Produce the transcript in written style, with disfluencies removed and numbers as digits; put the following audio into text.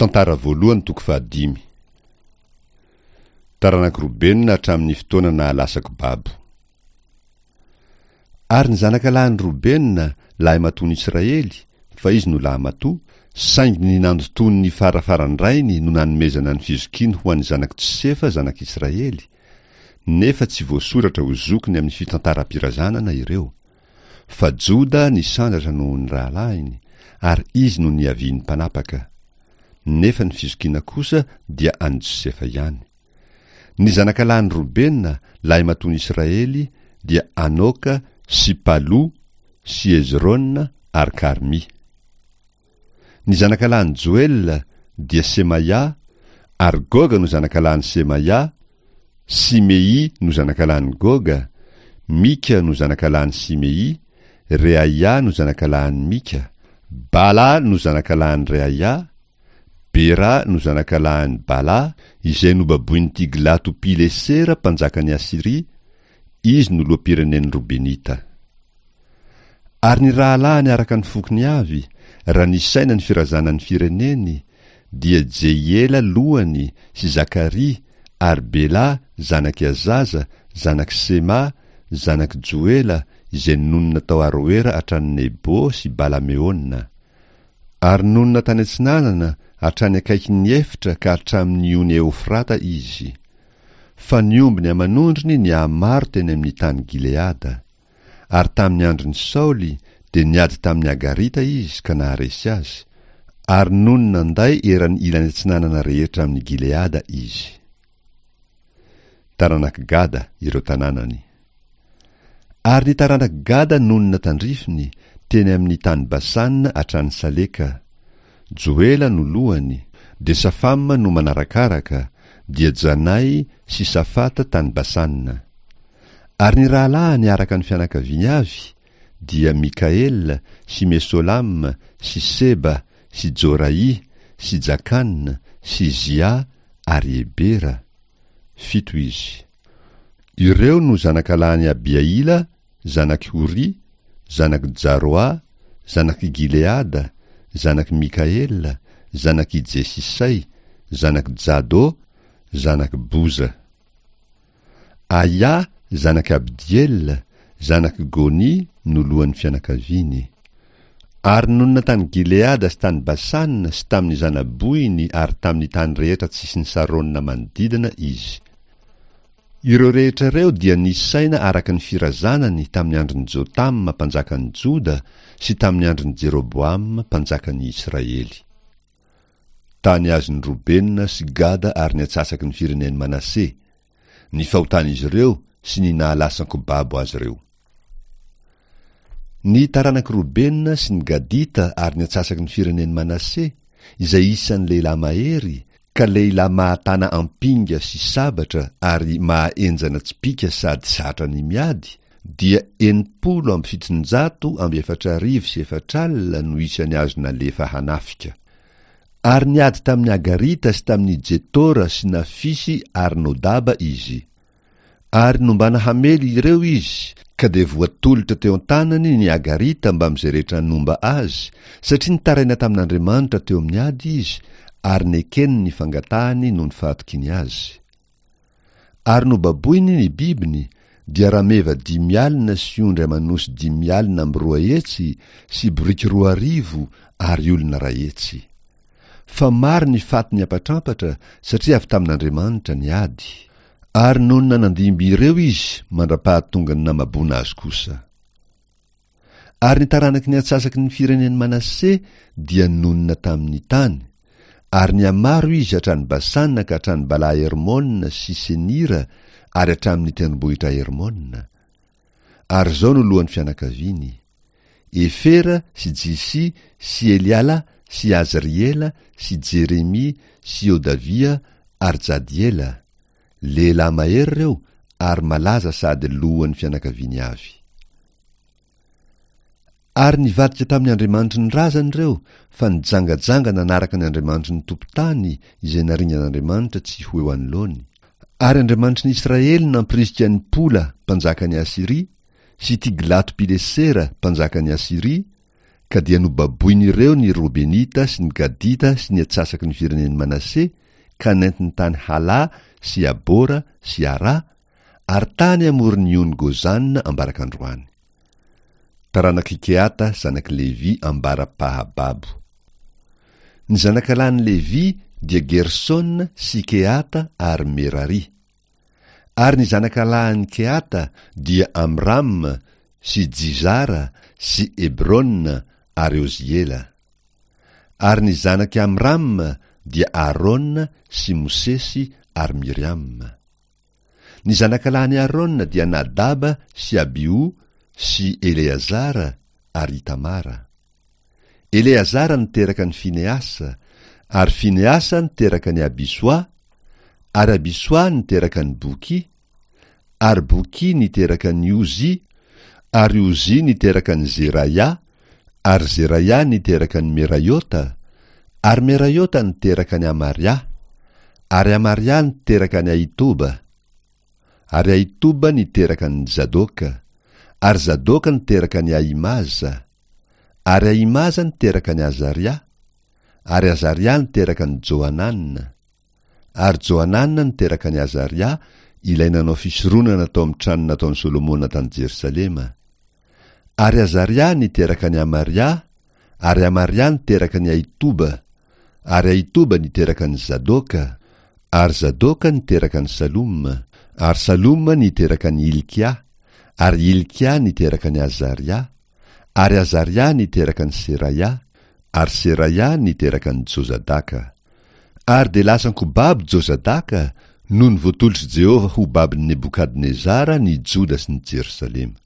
Tantara voalohany toko fahadimy. Taranak'i Robena hatramin'ny fotoana nahalasako babo. Ary ny zanakalahin'i Robena, lahimatoan'i Israely, fa izy no lahimatoa, saingy ny nandotoany ny farafaran-drainy no nanomezana ny fizokiany ho an'ny zanak'i Josefa zanak'Israely, nefa tsy voasoratra ho zokiny amin'ny fitantaram-pirazanana ireo. Fa Joda nisandratra noho ny rahalahiny, ary izy no niavian'ny mpanapaka. Nefa ny fizokiana kosa dia an'i Josefa ihany. Ny zanakalahin'i Robena, lahimatoan'i Israely, dia Anoka sy Palo sy Hezrona ary Karmy. Ny zanakalahin'i Joela dia Semaia, ary Goga no zanakalahin'i Semaia, Simei no zanakalahin'i Goga, Mika no zanakalahin'i Simei, Reaia no zanakalahin'i Mika, Bala no zanakalahin'i Reaia, Bera no zanakalahin'i Bala, izay nobaboin'i Tiglato-Pilesera mpanjakan'i Asyria, izy no loham-pirenen'ny Robenita. Ary ny rahalahiny araka ny fokony avy, raha nisaina ny firazanan'ny fireneny, dia Jehiela lohany sy Zakaria ary Bela zanak'i Azaza, zanak'i Sema, zanak'i Joela, izay nonina tao Aroera hatrany Nebo sy Bala-meona. Ary nonina tany atsinanana hatrany akaikin'ny efitra ka hatramin'ny ony Eofrata izy. Fa ny ombiny aman'ondriny nihamaro teny amin'ny tany Gileada. Ary tamin'ny andron'i Saoly dia niady tamin'ny Agarita izy ka naharesy azy, ary nony nanday eran'ny ilany atsinanana rehetra amin'i Gileada izy. Taranak'i Gada ireo tanànany. Ary ny taranak'i Gada nonina tandrifiny, teny amin'ny tany Basana hatrany Saleka. Joela no lohany, dia Safama no manarakaraka, dia Janay sy Safata tany Basana. Ary ny rahalahiny araka ny fianakaviany avy dia Mikaela sy Mesolama sy Seba sy Joraì sy Jakana sy Zia ary Ebera, fito izy. Ireo no zanakalahin'i Abihaila zanak'i Hory, zanak'i Jaroà, zanak'i Gileada, zanak'i Mikaela, zanak'i Jesisay, zanak'i Jado, zanak'i Boza. Ahià zanak'i Abdiela, zanak'i Gony no lohan'ny fianakaviany. Ary nonina tany Gileada sy tany Basana sy tamin'ny zana-bohiny ary tamin'ny tany rehetra tsisin'i Sarôna manodidina izy. Ireo rehetra ireo dia nisaina araka ny firazanany tamin'ny andron'i Jotama mpanjakan'i Joda sy tamin'ny andron'i Jeroboama mpanjakan'i Israely. Tany azon'i Robena sy Gada ary ny antsasaky ny firenen'i Manase, ny fahotan'izy ireo sy ny nahalasan-kobabo azy ireo. Ny taranak'i Robena sy ny Gadita ary ny antsasaky ny firenen'i Manase, izay isan'ny lehilahy mahery, ka lehilahy mahatana ampinga sy sabatra ary mahahenjana tsipìka sady zatra ny miady, dia 460 460 no isan'ny azo nalefa hanafika. Ary niady tamin'ny Agarita sy tamin'i Jetora sy Nafisy ary Nodaba izy. Ary nombana hamely ireo izy, ka dia voatolotra teo an-tanany ny Agarita mbamin'izay rehetra nomba azy, satria nitaraina tamin'Andriamanitra teo amin'ny ady izy, ary nekeny ny fangatahany noho ny fahatokiany azy. Ary nobaboiny ny bibiny, dia rameva 50 sy ondry aman'osy 250 sy boriky 2000 ary olona 100. Fa maro ny faty niampatrampatra satria avy tamin'Andriamanitra ny ady. Ary nonina nandimby ireo izy mandra-pahatongan'ny namaboana azy kosa. Ary ny taranaky ny antsasaky ny firenen'i Manase dia nonina tamin'ny tany, ary nihamaro izy hatrany Basana ka hatrany Bala-Hermona sy Senira ary hatramin'ny tendrombohitra Hermona. Ary izao no lohan'ny fianakaviany, Efera sy Jisy sy Eliala sy Azriela sy Jeremia sy Hodavia ary Jadiela, lehilahy mahery ireo ary malaza sady lohan'ny fianakaviany avy. Ary nivadika tamin'ny andriamanitry ny razany ireo fa nijangajanga nanaraka ny andriamanitry ny tompon-tany izay naringan'Andriamanitra tsy ho eo anoloany. Ary Andriamanitry ny Israely nampirisika an'i Pola mpanjakan'i Asyria sy Tiglato-Pilesera mpanjakan'i Asyria. Ka dia nobaboin'ireo ny Robenita sy ny Gadita sy ny atsasaky ny firenen'i Manase, ka nentiny tany Hala sy Abora sy Ara, ary tany amoron'ny ony Gozana ambarak'androany. Taranak'i Kehata zanak'i Levy ambara-pahababo. Ny zanakalahin'i Levy dia Gersona sy Kehata ary Merary. Ary ny zanakalahin'i Kehata dia Amram sy Jizara sy Hebrona ary Oziela. Ary ny zanak'i Amram dia Arona sy Mosesy ary Miriama. Ny zanakalahin'i Arona dia Nadaba sy Abiho sy Eleazara ary Itamara. Eleazara niteraka an'i Finehasa, ary Finehasa niteraka an'i Abisoa, ary Abisoa niteraka an'i Boky, ary Boky niteraka an'i Ozy, ary Ozy niteraka an'i Zeraia, ary Zeraia niteraka an'i Meraiota, ary Meraiota niteraka an'i Amaria, ary Amaria niteraka an'i Ahitoba, ary Ahitoba niteraka an'i Zadoka, ary Zadoka niteraka an'i Ahimaza, ary Ahimaza niteraka an'i Azaria, ary Azaria niteraka an'i Johanana, ary Johanana niteraka an'i Azaria, ilay nanao fisoronana tao amin'ny trano nataon'i Solomona tany Jerosalema. Ary Azaria niteraka an'i Amaria, ary Amaria niteraka an'i Ahitoba, ary Ahitoba niteraka an'i Zadoka, ary Zadoka niteraka an'i Saloma, ary Saloma niteraka an'i Hilkia, ary Hilkia niteraka an'i Azaria, ary Azaria niteraka an'i Seraia, ary Seraia niteraka an'i Jozadaka. Ary dia lasan-ko babo Jozadaka, nony voatolotr'i Jehovah ho babon'i Nebokadnezara ny Joda sy ny Jerosalema.